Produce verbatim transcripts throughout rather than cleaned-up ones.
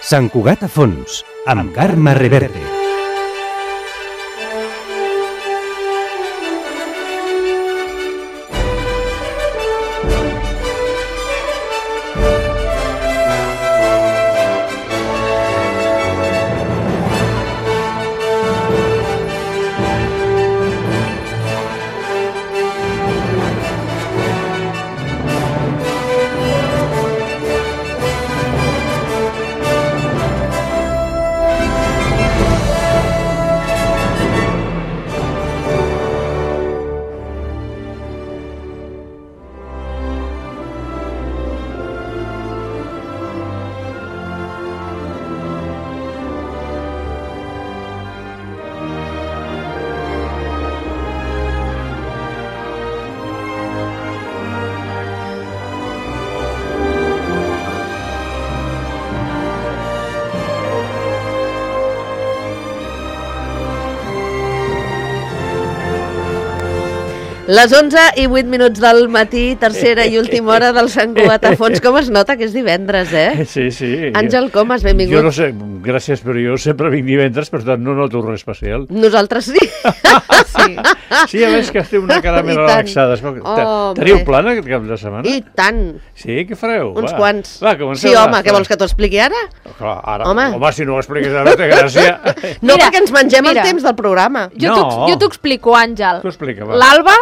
Sant Cugat a fons, amb Carme Reverte. Les onze i vuit minuts del matí, tercera i última hora del Sant Cugat a fons. Com es nota que és divendres, eh? Sí, sí. Àngel Comas, benvingut. Jo no sé, gràcies, però jo sempre vinc divendres, per tant no noto res especial. Nosaltres sí. Sí, sí, a més que esteu una cara més relaxada. Oh, teniu plan aquest cap de setmana? I tant. Sí, què fareu? Uns va. quants. Va, comencem. Sí, home, què vols que t'ho expliqui ara? Clar, ara. Home. home, si no ho expliques ara, té gràcia. No, Mira, perquè ens mengem mira. el temps del programa. Jo No. t'ho- jo t'ho explico, Àngel. T'ho explica, va. L'Alba,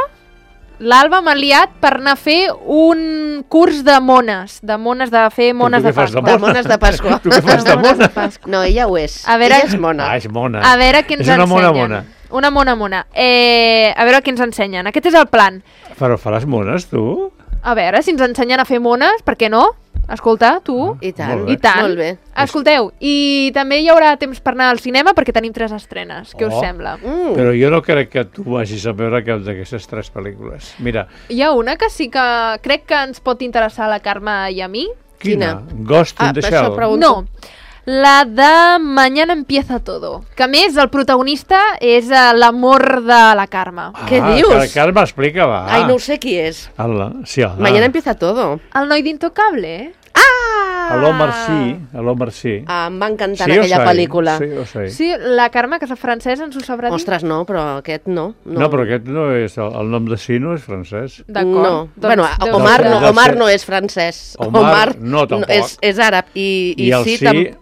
l'Alba m'ha liat per anar a fer un curs de mones, de mones, de fer mones tu de què fas de Pasqua. De mones de Pasqua. Tu què fas de mona? No, ella ho és. A veure- Ella és mona. Ah, és mona. A veure què ens és una ensenyen. mona mona. Una mona mona. Eh, a veure què ens ensenyen. Aquest és el plan. Però faràs mones, tu? A veure, si ens ensenyen a fer mones, per què no? Escolta, tu. I tant. Molt bé. I tant. Molt bé. Escolteu, i també hi haurà temps per anar al cinema perquè tenim tres estrenes. Què us Oh. sembla? Mm. Però jo no crec que tu vagis a veure cap d'aquestes tres pel·lícules. Mira, Hi ha una que sí que crec que ens pot interessar a la Carme i a mi. quina? Quina? Ghost in Ah, the per això Shell. pregunto. No, la de Mañana empieza todo. Que a més el protagonista és eh, l'amor de la Carme. Què Ah, dius? Que, Carme, explica, va. Ai, no ho sé qui és. Ala, sí, ala. Mañana empieza todo. El noi d'Intocable, eh? Ah! A l'Omar sí, a l'Omar sí. Ah, em va encantar Sí o aquella sei? pel·lícula. Sí o sei? Sí, la Carme, que és francès, ens ho sabrà dir. Ostres, no, però aquest no. No, no però aquest no és... El, el nom de sí no és francès. D'acord. No. Doncs Bueno, deu Omar, ser- no, deu Omar ser- no és francès. Omar no, tampoc. és, és àrab. I, i, I el sí, sí... tam-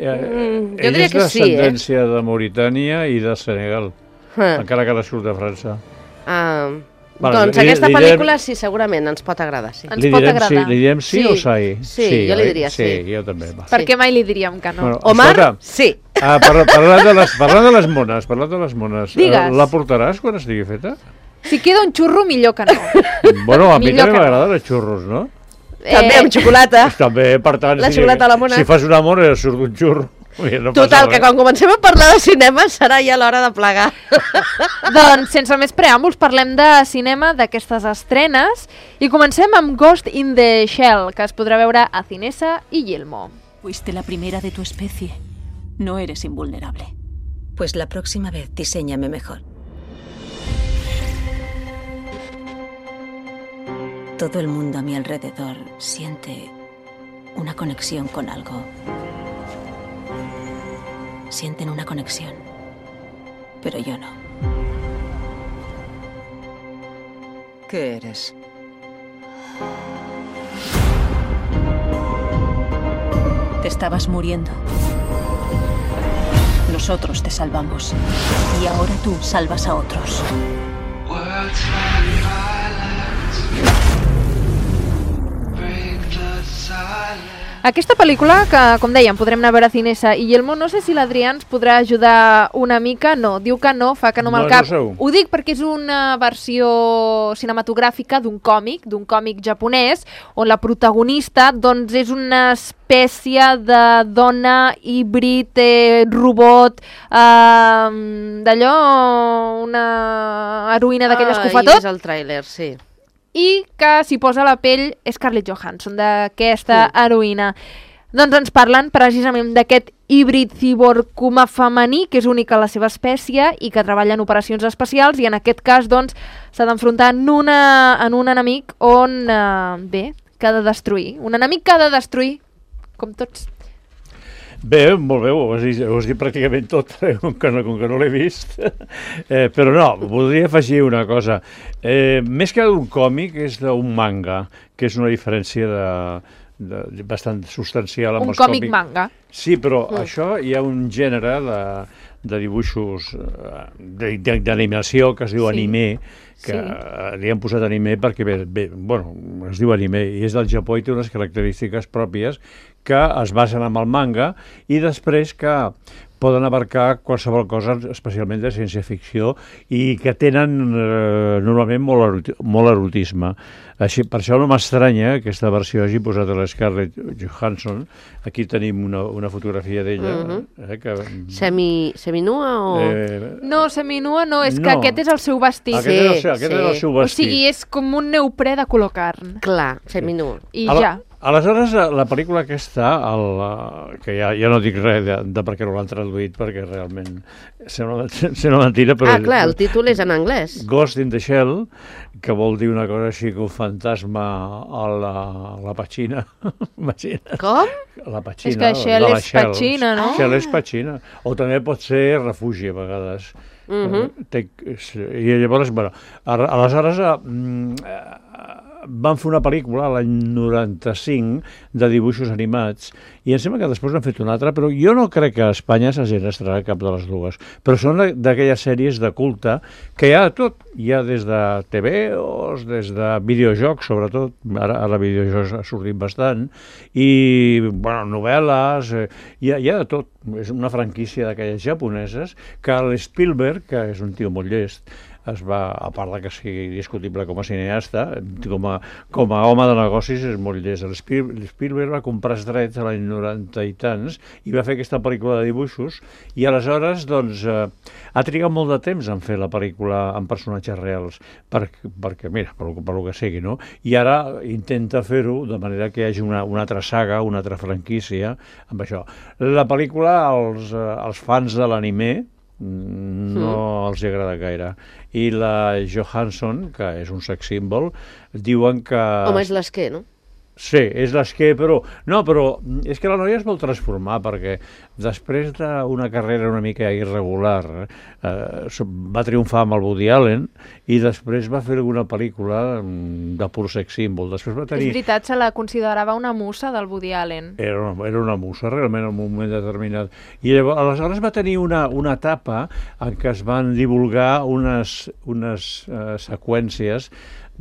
Eh, Mm, jo ell diria és que sí, eh? d'ascendència de Mauritània i de Senegal, Ah, encara que nascut de França. ah, Vale, doncs li- aquesta li direm- pel·lícula sí, segurament ens pot agradar, sí. Ens li pot direm agradar. Sí, li direm sí, Sí, o sai? sí, jo li oi? diria sí. Sí, jo també. Va. Per què mai li diríem que no? Bueno, Omar, escolta, sí. ah, par parlant, de les, parlant de les mones, parlant de les mones, Digues. eh, la portaràs quan estigui feta? Si queda un xurro, millor que no. Bueno, a mi Millor també que no. m'agraden els xurros, no? També amb xocolata. També, per tant, La si, xocolata a la mona. si fas un amor i surt un xurro. Ui, no passa Total, que res. quan comencem a parlar de cinema serà ja l'hora de plegar. Doncs, sense més preàmbuls, parlem de cinema, d'aquestes estrenes, i comencem amb Ghost in the Shell, que es podrà veure a Cinesa i Yelmo. Fuiste la primera de tu especie. No eres invulnerable. Pues la próxima vez diséñame mejor. Todo el mundo a mi alrededor siente una conexión con algo. Sienten una conexión, pero yo no. ¿Qué eres? Te estabas muriendo. Nosotros te salvamos. Y ahora tú salvas a otros. Aquesta pel·lícula, que com dèiem, podrem anar a veure a Cinesa i Yelmo, no sé si l'Adrià ens podrà ajudar una mica. No, diu que no, fa que no amb No, el cap. no segur. Ho dic perquè és una versió cinematogràfica d'un còmic, d'un còmic japonès, on la protagonista doncs, és una espècie de dona híbrid, eh, robot, eh, d'allò, una heroïna d'aquelles que ho fa Ah, he tot, vist el tràiler, sí. i que s'hi posa a la pell Scarlett Johansson, d'aquesta mm. heroïna. Doncs ens parlen precisament d'aquest híbrid ciborg-humà femení, que és únic a la seva espècie i que treballa en operacions especials, i en aquest cas doncs, s'ha d'enfrontar en, una, en un enemic on, eh, bé, que ha de destruir. Un enemic que ha de destruir, com tots. Bé, molt bé, ho has dit, ho has dit pràcticament tot, com que no, com que no l'he vist. Eh, però no, voldria afegir una cosa. Eh, més que d'un còmic, és d'un manga, que és una diferència de, de, de bastant substancial amb Un els còmic còmics. manga. Sí, però Mm. això hi ha un gènere de, de dibuixos eh, de- de- d'animació que es diu Sí. anime, que Sí. eh, li han posat anime perquè bé, bé, bueno, es diu anime i és del Japó i té unes característiques pròpies que es basen en el manga i després que poden abarcar qualsevol cosa, especialment de ciència-ficció, i que tenen eh, normalment molt, eroti molt erotisme. Així, per això no m'estranya que aquesta versió hagi posat a la Scarlett Johansson. Aquí tenim una, una fotografia d'ella. Mhm. eh, que, Semi, seminua o... eh, No, seminua no, és que No. aquest és el seu vestit. aquest era el Sí, seu, aquest sí. era el seu O vestit. sigui, és com un neoprè de color carn. Clar, seminua. I Ala- ja. Aleshores, la, la pel·lícula aquesta, el, que ja, ja no dic res de, de per què no l'han traduït, perquè realment sembla, sembla mentira, però... Ah, clar, el títol és en anglès. Ghost in the Shell, que vol dir una cosa així que un fantasma a la, a la petxina. Imagina't. Com? La petxina. És que Shell de la és petxina, no? Shell és petxina. O també pot ser refugi, a vegades. Mhm. Eh, té, I llavors, bueno, a- aleshores eh, mm, eh, van fer una pel·lícula l'any noranta-cinc de dibuixos animats i em sembla que després n'han fet una altra, però jo no crec que a Espanya s'hagin estrenat cap de les dues. Però són d'aquelles sèries de culte que hi ha de tot. Hi ha des de T V os, des de videojocs, sobretot. Ara, ara videojocs ha sortit bastant. I, bueno, novel·les, eh, hi, ha, hi ha de tot. És una franquícia d'aquelles japoneses que l'Spielberg, que és un tio molt llest, es va, a part de que sigui discutible com a cineasta, com a, com a home de negocis és molt llest. L'Spielberg va comprar els drets a l'any noranta i tants i va fer aquesta pel·lícula de dibuixos i aleshores doncs, eh, ha trigat molt de temps en fer la pel·lícula amb personatges reals, per, perquè, mira, per, per lo que sigui, no? I ara intenta fer-ho de manera que hi hagi una, una altra saga, una altra franquícia amb això. La pel·lícula, als, eh, als fans de l'anime, no mm. els agrada gaire. I la Johansson, que és un sex símbol, diuen que... Home, és l'esquer, no? Sí, és l'esquer, però... No, però és que la noia es vol transformar, perquè després d'una carrera una mica irregular eh, va triomfar amb el Woody Allen i després va fer alguna pel·lícula de pur sex símbol. Després va tenir... És veritat, se la considerava una musa del Woody Allen. Era una, era una musa, realment, en un moment determinat. I llavors, aleshores va tenir una, una etapa en què es van divulgar unes, unes uh, seqüències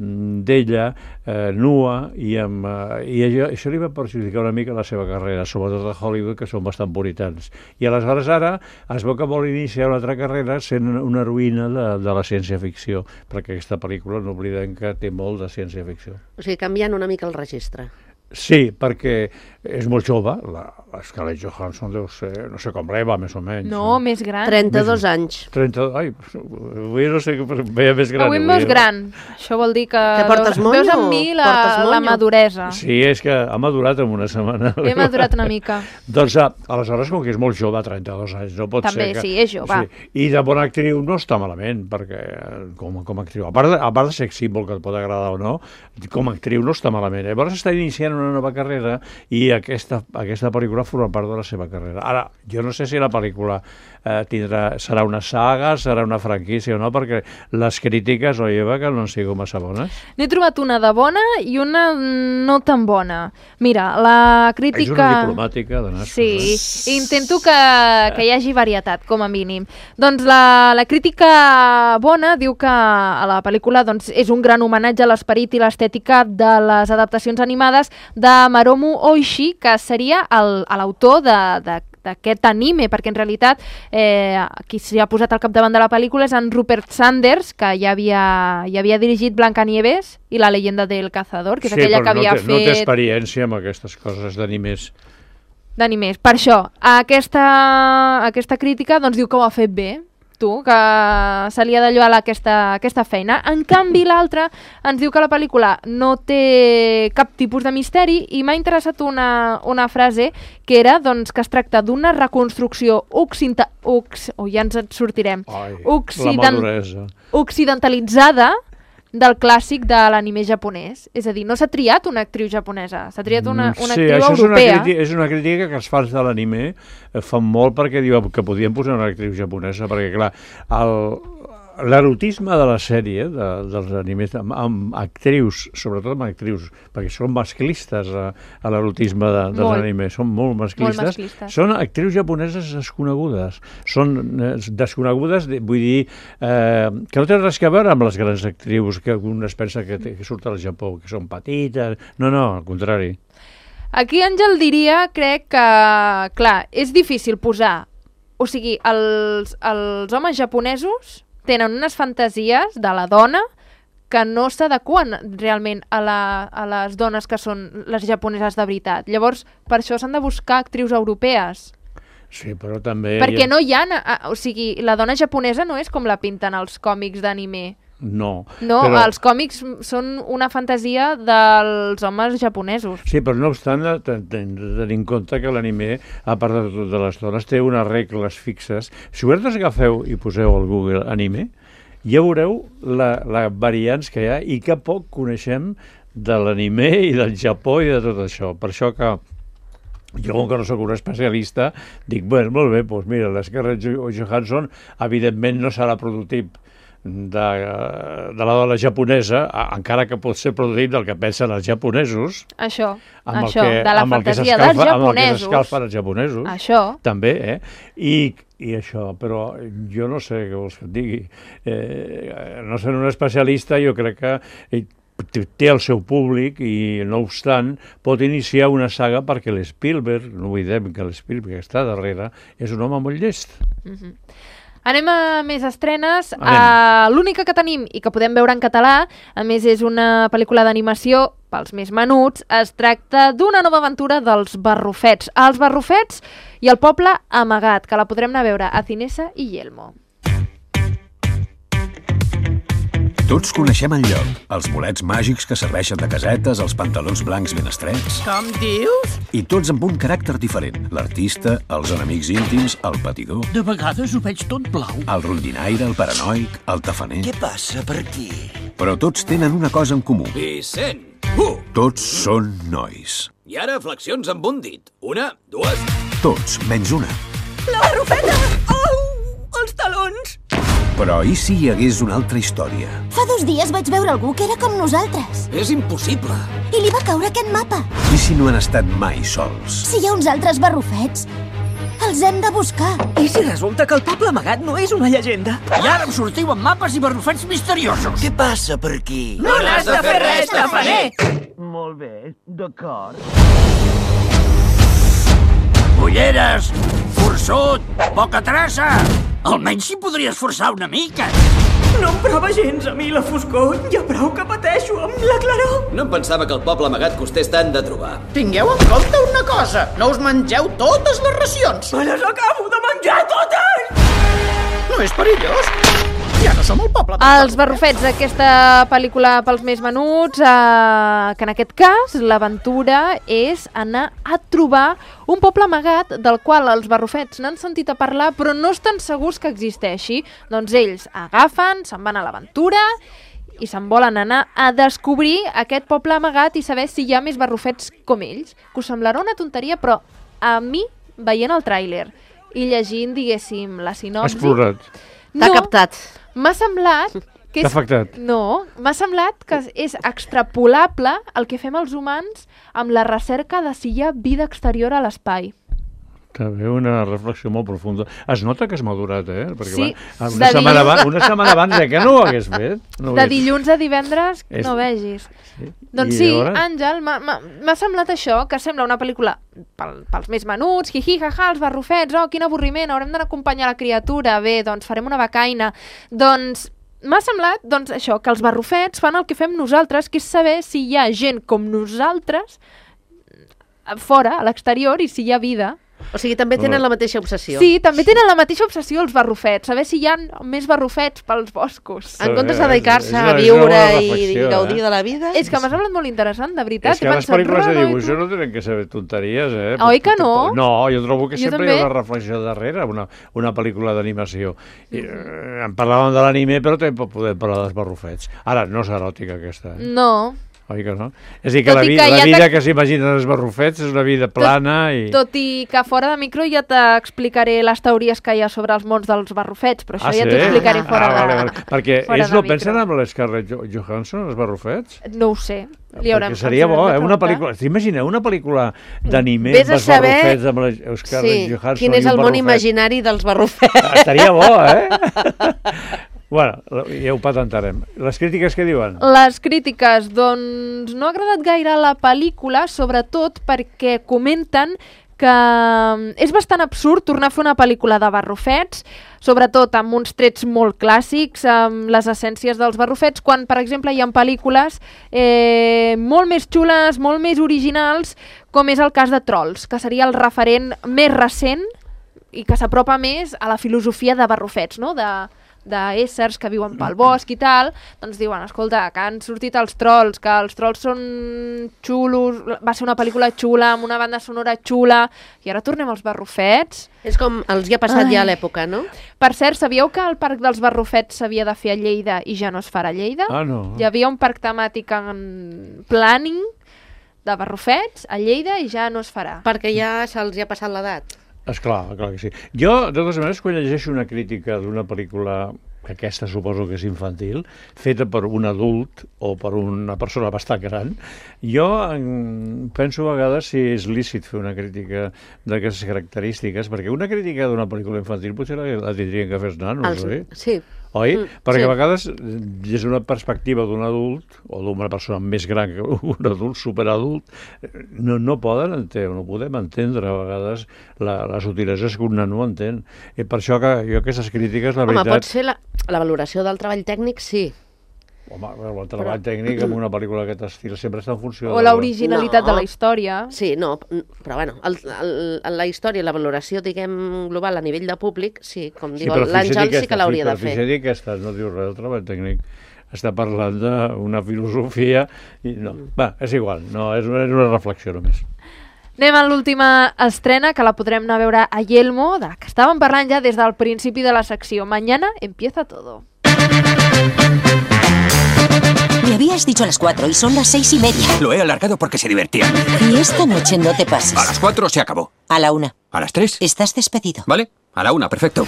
d'ella eh, nua i, amb, eh, i això, això li va perjudicar una mica la seva carrera, sobretot a Hollywood, que són bastant puritans. I aleshores ara es veu que vol iniciar una altra carrera sent una heroïna de, de la ciència-ficció, perquè aquesta pel·lícula no oblidem que té molt de ciència-ficció. O sigui, canviant una mica el registre. Sí, perquè és molt jove, la, la Scarlett Johansson deu ser, no sé com l'Eva, més o menys. No, més gran. trenta-dos anys. trenta, ai, avui no sé, veia més gran. Avui em veus gran. Això vol dir que, Que portes veus, monyo? veus en mi la, Portes monyo? la maduresa. Sí, és que ha madurat en una setmana. He madurat una mica. Doncs ah, aleshores, com que és molt jove, trenta-dos anys, no pot També, ser que... sí, és jove. Sí. I de bona actriu no està malament, perquè eh, com, com a actriu, a part, de, a part de sex símbol, que et pot agradar o no, com a actriu no està malament. Llavors està iniciant una nova carrera i aquesta, aquesta pel·lícula forma part de la seva carrera. Ara, jo no sé si la pel·lícula eh, tindrà, serà una saga, serà una franquícia o no, perquè les crítiques, oi, Eva, que no han sigut massa bones. N'he trobat una de bona i una no tan bona. Mira, la crítica... És una diplomàtica de nassos. Sí, Eh? intento que, que hi hagi varietat, com a mínim. Doncs la, la crítica bona diu que a la pel·lícula doncs, és un gran homenatge a l'esperit i l'estètica de les adaptacions animades de Mamoru Oshii, que seria l'autor d'aquest anime, perquè en realitat eh, qui s'hi ha posat al capdavant de la pel·lícula és en Rupert Sanders, que ja havia, ja havia dirigit Blancanieves i La leyenda del cazador, que és sí, aquella que no havia té, no té fet... experiència amb aquestes coses d'animés. D'animés. Per això, aquesta, aquesta crítica doncs, diu que ho ha fet bé, tu, que se li ha de lloar aquesta, aquesta feina. En canvi, l'altra ens diu que la pel·lícula no té cap tipus de misteri i m'ha interessat una, una frase que era doncs, que es tracta d'una reconstrucció occidenta... Ox... Oh, ja ens en sortirem. Ai, Occident... la maduresa. occidentalitzada del clàssic de l'anime japonès. És a dir, no s'ha triat una actriu japonesa, s'ha triat una, una sí, actriu això europea. És una, crítica, és una crítica que els fans de l'anime fan molt perquè diuen que podien posar una actriu japonesa, perquè clar, l'erotisme de la sèrie, de, dels animes, amb, amb actrius, sobretot amb actrius, perquè són masclistes a, a l'erotisme de, dels molt. animes, són molt masclistes, molt masclistes, són actrius japoneses desconegudes, són eh, desconegudes, vull dir, eh, que no tenen res a veure amb les grans actrius que un es pensa que, que surten al Japó, que són petites, no, no, al contrari. Aquí Àngel diria, crec que, clar, és difícil posar, o sigui, els, els homes japonesos tenen unes fantasies de la dona que no s'adequen realment a, la, a les dones que són les japoneses de veritat. Llavors, per això s'han de buscar actrius europees. Sí, però també... Perquè no hi ha... O sigui, la dona japonesa no és com la pinten els còmics d'anime. No. No, però... els còmics són una fantasia dels homes japonesos. Sí, però no obstant, tenir en compte que l'anime, a part de tot de les dones, té unes regles fixes. Si vosaltres agafeu i poseu al Google anime, ja veureu la, la variants que hi ha i que poc coneixem de l'anime i del Japó i de tot això. Per això que jo, com que no soc un especialista, dic, bueno, molt bé, doncs mira, l'Scarlett Johansson, evidentment no serà prototip de, de la dona japonesa, encara que pot ser produït del que pensen els japonesos. Això, amb això, el que, de la amb fantasia dels japonesos. Amb el que s'escalfen els japonesos. Això. També, eh? I, i això, però jo no sé què vols que et digui. Eh, no sent un especialista, jo crec que té el seu públic i, no obstant, pot iniciar una saga perquè l'Spielberg, no oblidem que l'Spielberg que està darrere, és un home molt llest. Mhm. Anem a més estrenes. Uh, L'única que tenim i que podem veure en català, a més és una pel·lícula d'animació pels més menuts, es tracta d'una nova aventura dels Barrufets. Els Barrufets i el poble amagat, que la podrem anar a veure a Cinesa i Yelmo. Tots coneixem el lloc, els bolets màgics que serveixen de casetes, els pantalons blancs ben estrets. Com dius? I tots amb un caràcter diferent. L'artista, els enemics íntims, el patidor... De vegades ho veig tot blau. El rondinaire, el paranoic, el tafaner... Què passa per aquí? Però tots tenen una cosa en comú. Vicent! Uh! Tots són nois. I ara flexions amb un dit. Una, dues... Tots, menys una. La barrufeta! Au! Els talons! Però i si hi hagués una altra història? Fa dos dies vaig veure algú que era com nosaltres. És impossible. I li va caure aquest mapa. I si no han estat mai sols? Si hi ha uns altres barrufets, els hem de buscar. I si resulta que el poble amagat no és una llegenda? I ara em sortiu amb mapes i barrufets misteriosos. Què passa per aquí? No n'has de fer res, tafaner! Molt bé, d'acord. Ulleres, forçut, poca traça. Almenys si podries forçar una mica. No em prova gens a mi la foscor. Ja prou que pateixo amb la claror. No em pensava que el poble amagat costés tant de trobar. Tingueu en compte una cosa. No us mengeu totes les racions. Me les acabo de menjar totes! No és perillós. Ja no som el poble. Els Barrufets, aquesta pel·lícula pels més menuts, eh, que en aquest cas l'aventura és anar a trobar un poble amagat del qual els Barrufets n'han sentit a parlar però no estan segurs que existeixi. Doncs ells agafen, se'n van a l'aventura i se'n volen anar a descobrir aquest poble amagat i saber si hi ha més barrufets com ells. Que us semblarà una tonteria, però a mi, veient el tràiler i llegint, diguéssim, la sinopsi... Has plorat. T'ha no, captat. M'ha semblat que és... T'ha afectat. No, m'ha semblat que és extrapolable el que fem els humans amb la recerca de si hi ha vida exterior a l'espai. També una reflexió molt profunda. Es nota que has madurat, eh? Perquè Sí, va, una, setmana dilluns... abans, una setmana abans de que no ho hagués fet. No ho de hagués... dilluns a divendres, És... no vegis. Sí. Doncs I sí, llavors... Àngel, m'ha semblat això, que sembla una pel·lícula pel, pels més menuts, hi-hi, ha-ha, els barrufets, oh, quin avorriment, haurem d'anar a acompanyar la criatura, bé, doncs farem una becaina. Doncs m'ha semblat, doncs, això, que els barrufets fan el que fem nosaltres, que és saber si hi ha gent com nosaltres fora, a l'exterior, i si hi ha vida. O sigui, també tenen la mateixa obsessió. Sí, també tenen la mateixa obsessió els barrufets, saber si hi ha més barrufets pels boscos. En comptes de dedicar-se a viure i gaudir de la vida... És que m'ha semblat molt interessant, de veritat. És que les pel·lícules de dibuixos no tenen que ser tonteries, eh? Oi que no? No, jo trobo que sempre hi ha una reflexió darrere, una, una pel·lícula d'animació. I, eh, en parlàvem de l'anime, però també podem parlar dels barrufets. Ara, no és eròtica, aquesta. Eh? No. Oi que no? És a dir, que la, vi que la vida que s'imaginen els barrufets és una vida plana tot, i... Tot i que fora de micro ja t'explicaré les teories que hi ha sobre els mons dels barrufets, però això ah, ja sí? t'ho explicaré fora ah, de vale, vale. Perquè ells no pensen micro. amb l'Scarlett Johansson, els barrufets? No ho sé. Li haurem, Perquè seria bo, eh? Una pel·lícula... T'imagineu una pel·lícula d'anime amb els saber... barrufets, amb l'Scarlett sí, Johansson quin és el món imaginari dels barrufets. Estaria bo, eh? Bueno, ja ho patentarem. Les crítiques què diuen? Les crítiques, doncs, no ha agradat gaire la pel·lícula, sobretot perquè comenten que és bastant absurd tornar a fer una pel·lícula de barrufets, sobretot amb uns trets molt clàssics, amb les essències dels barrufets, quan, per exemple, hi ha pel·lícules eh, molt més xules, molt més originals, com és el cas de Trolls, que seria el referent més recent i que s'apropa més a la filosofia de barrufets, no?, de... d'éssers que viuen pel bosc i tal, doncs diuen, escolta, que han sortit els trolls, que els trolls són xulos, va ser una pel·lícula xula, amb una banda sonora xula, i ara tornem als barrufets. És com els hi ha passat Ai. ja a l'època, no? Per cert, sabíeu que el Parc dels Barrufets s'havia de fer a Lleida i ja no es farà a Lleida? Ah, no. Hi havia un parc temàtic en planning de barrufets a Lleida i ja no es farà. Perquè ja se'ls hi ha passat l'edat. Esclar, clar que sí. Jo, de totes maneres, quan llegeixo una crítica d'una pel·lícula, que aquesta suposo que és infantil, feta per un adult o per una persona bastant gran, jo penso a vegades si és lícit fer una crítica d'aquestes característiques, perquè una crítica d'una pel·lícula infantil potser la, la tindrien que fer els nanos, Els, oi? Sí. Oi? Mm, perquè sí. a vegades, des d'una perspectiva d'un adult, o d'una persona més gran que un adult, superadult, no, no poden entendre, no podem entendre a vegades la, les utilitats que un nano entén. I per això que jo aquestes crítiques, la Home, veritat... pot ser la, la valoració del treball tècnic, sí. Home, el treball però... tècnic en una pel·lícula d'aquest estil sempre està en funció... O l'originalitat no. de la història. Sí, no, però bueno, el, el, la història, la valoració, diguem, global a nivell de públic, sí, com diu sí, l'Àngel, sí que l'hauria sí, de fer. Sí, però aquesta no diu res del treball tècnic. Està parlant d'una filosofia i no, va, és igual, no, és una, és una reflexió només. Anem a l'última estrena, que la podrem anar a veure a Yelmo, de que estàvem parlant ja des del principi de la secció. Mañana empieza todo. Me habías dicho a las cuatro y son las seis y media. Lo he alargado porque se divertían. Y esta noche no te pases. A las cuatro se acabó. A la una. ¿A las tres? Estás despedido. Vale, a la una, perfecto.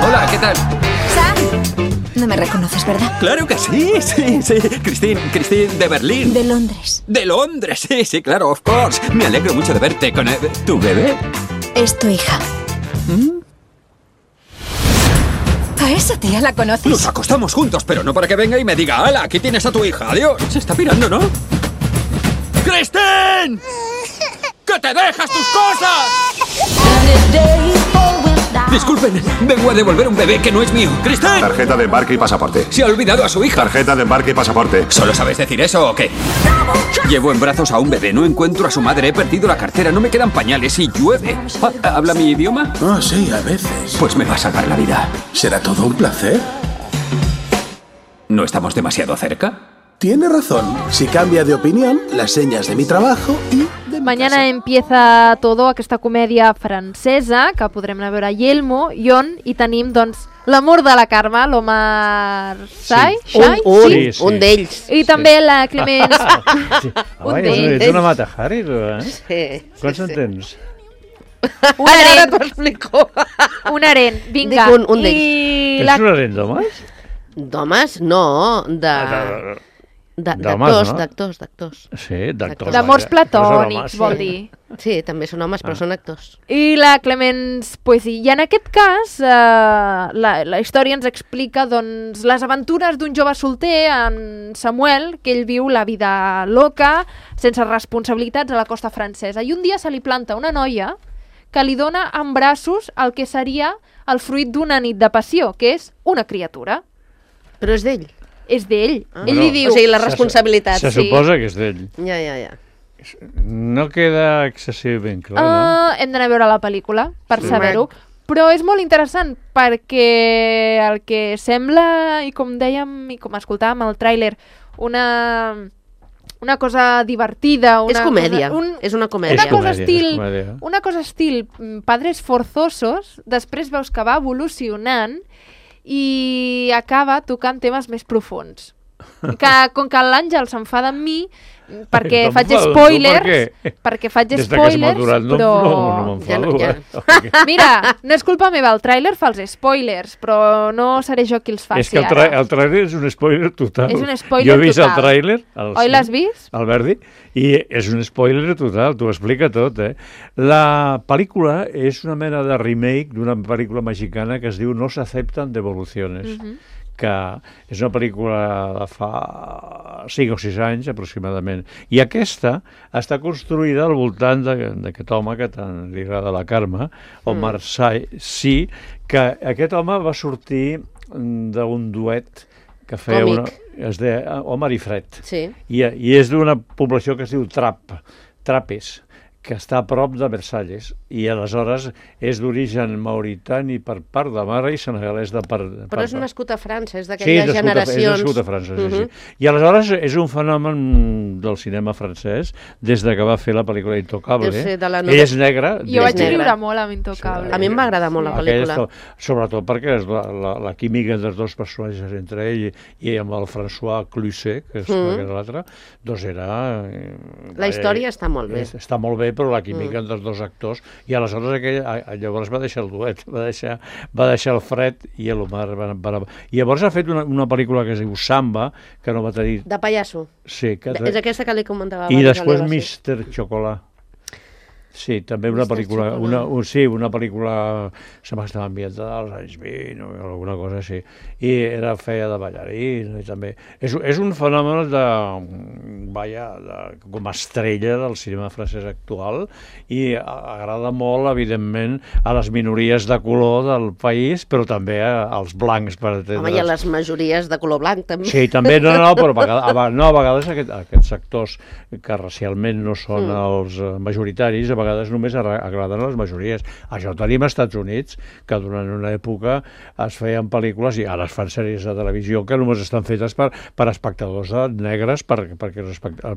Hola, ¿qué tal? Sam, no me reconoces, ¿verdad? Claro que sí, sí, sí. Christine, Christine de Berlín. De Londres. De Londres, sí, sí, claro, of course. Me alegro mucho de verte con... Eh, ¿tu bebé? Es tu hija. ¿Mm? ¿A esa tía la conoces? Nos acostamos juntos, pero no para que venga y me diga, ¡hala, aquí tienes a tu hija! ¡Adiós! Se está pirando, ¿no? ¡Christine! ¡Que te dejas tus cosas! Disculpen, vengo a devolver un bebé que no es mío. ¡Christine! Tarjeta de embarque y pasaporte. Se ha olvidado a su hija. Tarjeta de embarque y pasaporte. ¿Solo sabes decir eso o qué? Llevo en brazos a un bebé, no encuentro a su madre, he perdido la cartera, no me quedan pañales y llueve. ¿Habla mi idioma? Oh, sí, a veces. Pues me va a salvar la vida. ¿Será todo un placer? ¿No estamos demasiado cerca? Tiene razón. Si cambia de opinión, las señas de mi trabajo y de mi Mañana casa. empieza todo, aquesta comèdia francesa, que podrem anar a veure a Yelmo, i on hi tenim, doncs, l'amor de la Carme, l'Omar Sy, sí. Un, un, sí? sí, un d'ells. I sí. també la Clemens. Sí. Un d'ells. Ets una Mata Hari, tu, eh? Sí. Quants sí, en tens? Un aren. Ara t'ho explico. Un aren, vinga. Dic un, un d'ells. I la... Ets un aren d'homes? D'homes, no, de... D'actors, d'actors, d'actors. Sí, d'actors. D'amors platònics, vol dir. Sí, també són homes, però ah. són actors. I la Clemens Poesí. I en aquest cas, eh, la, la història ens explica doncs, les aventures d'un jove solter, en Samuel, que ell viu la vida loca, sense responsabilitats a la costa francesa. I un dia se li planta una noia que li dona en braços el que seria el fruit d'una nit de passió, que és una criatura. Però és d'ell. És d'ell. Ah. Ell Bueno, li diu... O sigui, la responsabilitat. Se, se sí. suposa que és d'ell. Ja, ja, ja. No queda excessivament clar, uh, no? Hem d'anar a veure la pel·lícula per Sí. saber-ho. Però és molt interessant perquè el que sembla, i com dèiem i com escoltàvem al tràiler, una, una cosa divertida... Una és comèdia, cosa, un, és una comèdia. Una cosa comèdia, estil, és comèdia. una cosa estil mm, Padres Forzosos, després veus que va evolucionant i acaba tocant temes més profuns. Que, com que l'Àngel s'enfada amb mi perquè No faig m'enfado, spoilers, per què? perquè faig Des de que spoilers, s'ha maturat, no, però... no, no m'enfado. Ja eh? no, Mira, no és culpa meva, el tràiler fa els spoilers, però no seré jo qui els faci És que el, ara. tra el tràiler és un spoiler total. És un spoiler Jo he vist total. el tràiler, el, Oi, l'has vist? el Verdi, i és un spoiler total, t'ho explica tot, eh? La pel·lícula és una mena de remake d'una pel·lícula mexicana que es diu No s'acepten devoluciones. Mhm. que és una pel·lícula de fa cinc o sis anys aproximadament. I aquesta està construïda al voltant d'aquest home que tant li agrada la Carme, Omar mm. Sy, que aquest home va sortir d'un duet que feia Còmic. una, es deia Omar i Fred. Sí. I, i és d'una població que es diu Trap, Trapes, que està a prop de Versalles, i aleshores és d'origen mauritani per part de mare i senegalès de part... de Però és part. nascut a França, és Sí, d'aquelles és nascut, a, generacions... és nascut a França, sí, Mhm. sí. I aleshores és un fenomen del cinema francès des de que va fer la pel·lícula Intocable. Deu ser de la Ell nova- és negre. Jo vaig negre. riure molt amb Intocable. A mi em va agradar molt la pel·lícula. Aquesta, sobretot perquè és la, la, la química dels dos personatges entre ell i, i amb el François Cluzet, que és Mm. mm. l'altre, doncs era... eh, La història està molt bé. és- Està molt bé, però la química Mm. dels dos actors, i aleshores aquell, a, a, llavors va deixar el duet, va deixar, va deixar el Fred i l'Omar. Van, van, I llavors ha fet una, una pel·lícula que es diu Samba, que no va tenir... De pallasso. Sí, que... És aquesta que li comentava I abans. després l'Eva, sí. mister Chocolat. Sí, també una mister pel·lícula, Chocolat. una, un, sí, una pel·lícula, sembla que estava ambientada als anys vint o alguna cosa així, i era feia de ballarina i també. És, és un fenomen de, vaja, de, com a estrella del cinema francès actual, i agrada molt, evidentment, a les minories de color del país, però també a, als blancs, per entendre's. Home, i a les majories de color blanc, també. Sí, també, no, no, però a vegades, a, no, a vegades aquest, aquests sectors que racialment no són mm. els eh, majoritaris, a vegades només agraden a les majories. Això ho tenim als Estats Units, que durant una època es feien pel·lícules, i ara es fan sèries de televisió que només estan fetes per, per espectadors negres, per, perquè,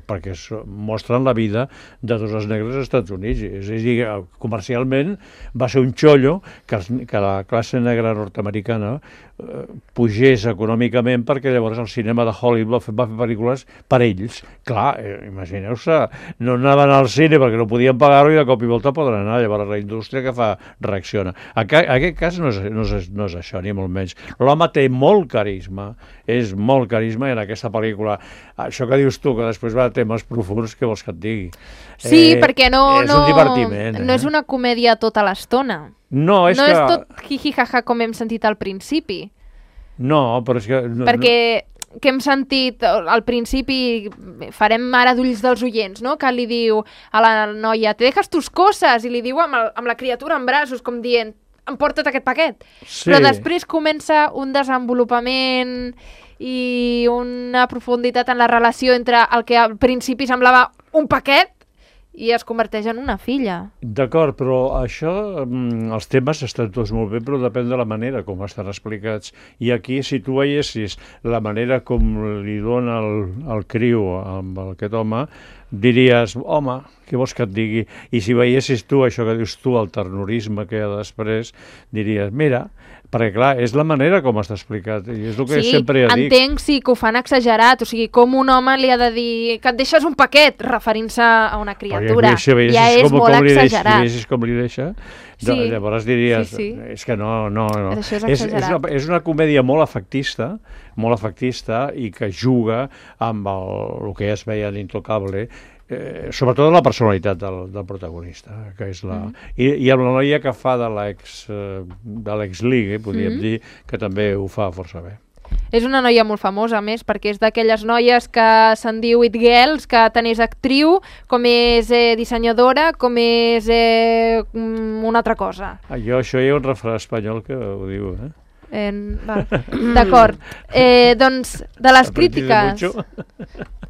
perquè es mostren la vida de tots els negres als Estats Units. És a dir, comercialment va ser un xollo que, els, que la classe negra nord-americana eh, pugés econòmicament, perquè llavors el cinema de Hollywood va fer, va fer pel·lícules per ells. Clar, eh, imagineu-se, no anaven al cine perquè no podien pagar-ho i de cop i volta poden anar. Llavors la indústria que fa reacciona. En aquest cas no és, no és, no és això, ni molt menys. L'home té molt carisma, és molt carisma, i en aquesta pel·lícula, això que dius tu, que després va a temes profuns, què vols que et digui? Sí, eh, perquè no, és no, un divertiment. no és una comèdia tota l'estona. No, és no que... és tot jiji-jaja com hem sentit al principi. No, però és que... No, perquè que hem sentit al principi, farem ara d'ulls dels oients, no? Que li diu a la noia, te dejas tus coses, i li diu amb, el, amb la criatura en braços, com dient, emporta't aquest paquet. Sí. Però després comença un desenvolupament i una profunditat en la relació entre el que al principi semblava un paquet i es converteix en una filla. D'acord, però això, els temes estan tots molt bé, però depèn de la manera com estan explicats. I aquí, si tu veiessis la manera com li dona el, el criu amb aquest home, diries, home, què vols que et digui? I si veiessis tu això que dius tu, el ternorisme que hi ha després, diries, mira, perquè clar, és la manera com està explicat, i és el que sí, sempre ja dic. entenc sí, que ho fan exagerat, o sigui, com un home li ha de dir que et deixes un paquet, referint-se a una criatura, si ja és com, molt com exagerat. Si veiessis com li deixa, Sí. llavors diries, Sí, sí. és que no, no, no. Això és és, és, exagerat. una, és una comèdia molt efectista, molt efectista, i que juga amb el, el que ja es veia en Intocable, eh, sobretot la personalitat del, del protagonista, que és la... Mm. I, i amb la noia que fa de l'ex eh, de l'ex-ligue, podríem Mm. dir, que també ho fa força bé. És una noia molt famosa, a més, perquè és d'aquelles noies que se'n diu It Girls, que tant és actriu, com és eh, dissenyadora, com és eh, una altra cosa. Ah, jo, això hi ha un refrà espanyol que ho diu, eh? Eh, D'acord. Eh, doncs, de les crítiques...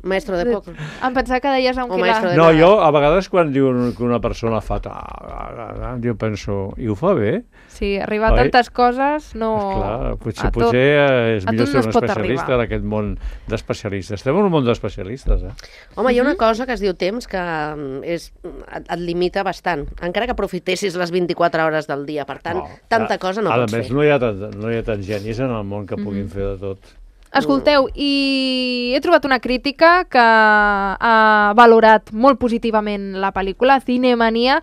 Maestro de poco. Em pensava que deies un quilà. No, jo a vegades quan diuen que una persona fa tal, jo penso, i ho fa bé? Sí, arribar a tantes coses no... Esclar, potser, potser és millor ser un especialista en aquest món d'especialistes. Estem en un món d'especialistes, eh? Home, hi ha una cosa que es diu temps que és, et, et limita bastant, encara que aprofitessis les vint-i-quatre hores del dia. Per tant, no, tanta cosa no pots fer. A més, no hi ha tant, no hi ha tants genis en el món que puguin mm-hmm. fer de tot. Escolteu, i he trobat una crítica que ha valorat molt positivament la pel·lícula, Cinemania.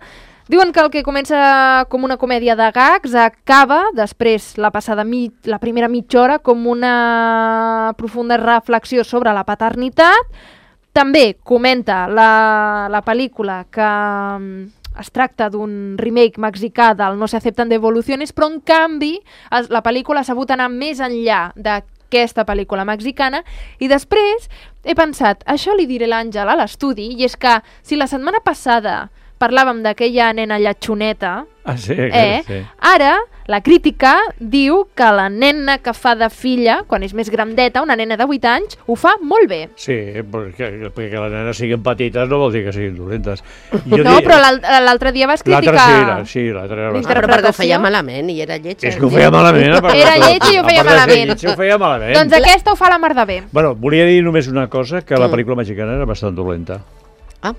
Diuen que el que comença com una comèdia de gags acaba, després la passada mi, la primera mitja hora, com una profunda reflexió sobre la paternitat. També comenta la, la pel·lícula que es tracta d'un remake mexicà del No se aceptan devoluciones, però en canvi la pel·lícula ha sabut anar més enllà de aquesta pel·lícula mexicana, i després he pensat, això li diré l'Àngel a l'estudi, i és que si la setmana passada parlàvem d'aquella nena lletxoneta, ah, sí, eh, sí. ara la crítica diu que la nena que fa de filla, quan és més grandeta, una nena de vuit anys, ho fa molt bé. Sí, perquè, perquè les nenes siguin petites no vol dir que siguin dolentes. Jo no, dic... però l'altre dia vas criticar... L'altre sí, l'altre era bastant. Però perquè ho feia malament i era lletja. És que ho feia malament. Era lletja i ho feia malament. Ho feia malament. Doncs aquesta ho fa la mar de bé. Bueno, volia dir només una cosa, que la pel·lícula mexicana era bastant dolenta. Ah.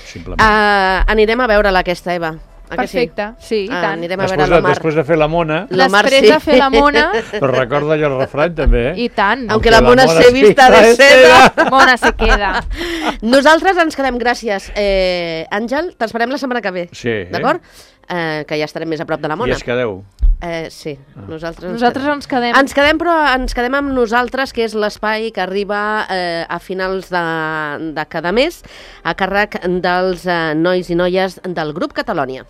Simplement. Uh, anirem a veure-la aquesta, Eva. Perfecte, sí, i tant. Uh, anirem a després veure de, l'Omar. Després de fer la mona... Després sí. de fer la mona... Però recorda allò el refrany, també, eh? I tant. Aunque la mona, la mona se vista de seda. Mona se queda. Nosaltres ens quedem, gràcies. Eh, Àngel, t'esperem la setmana que ve. Sí. D'acord? Eh, que ja estarem més a prop de la mona. I es quedeu. Eh, sí, ah. nosaltres, nosaltres ens quedem. Ens quedem, però ens quedem amb nosaltres, que és l'espai que arriba eh, a finals de, de cada mes a càrrec dels eh, nois i noies del grup Catalònia.